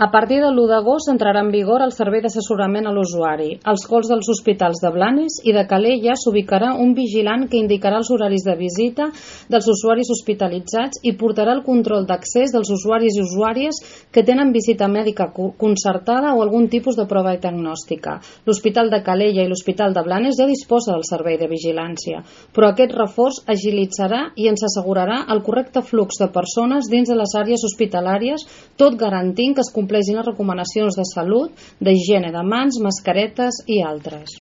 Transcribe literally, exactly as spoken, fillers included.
A partir de l'u d'agost entrarà en vigor el servei d'assessorament a l'usuari. Als halls dels hospitals de Blanes i de Calella s'ubicarà un vigilant que indicarà els horaris de visita dels usuaris hospitalitzats i portarà el control d'accés dels usuaris i usuàries que tenen visita mèdica concertada o algun tipus de prova diagnòstica. L'Hospital de Calella i l'Hospital de Blanes ja disposa del servei de vigilància, però aquest reforç agilitzarà i ens assegurarà el correcte flux de persones dins de les àrees hospitalàries, tot garantint que es compleixin les recomanacions de salut, d'higiene de mans, mascaretes i altres.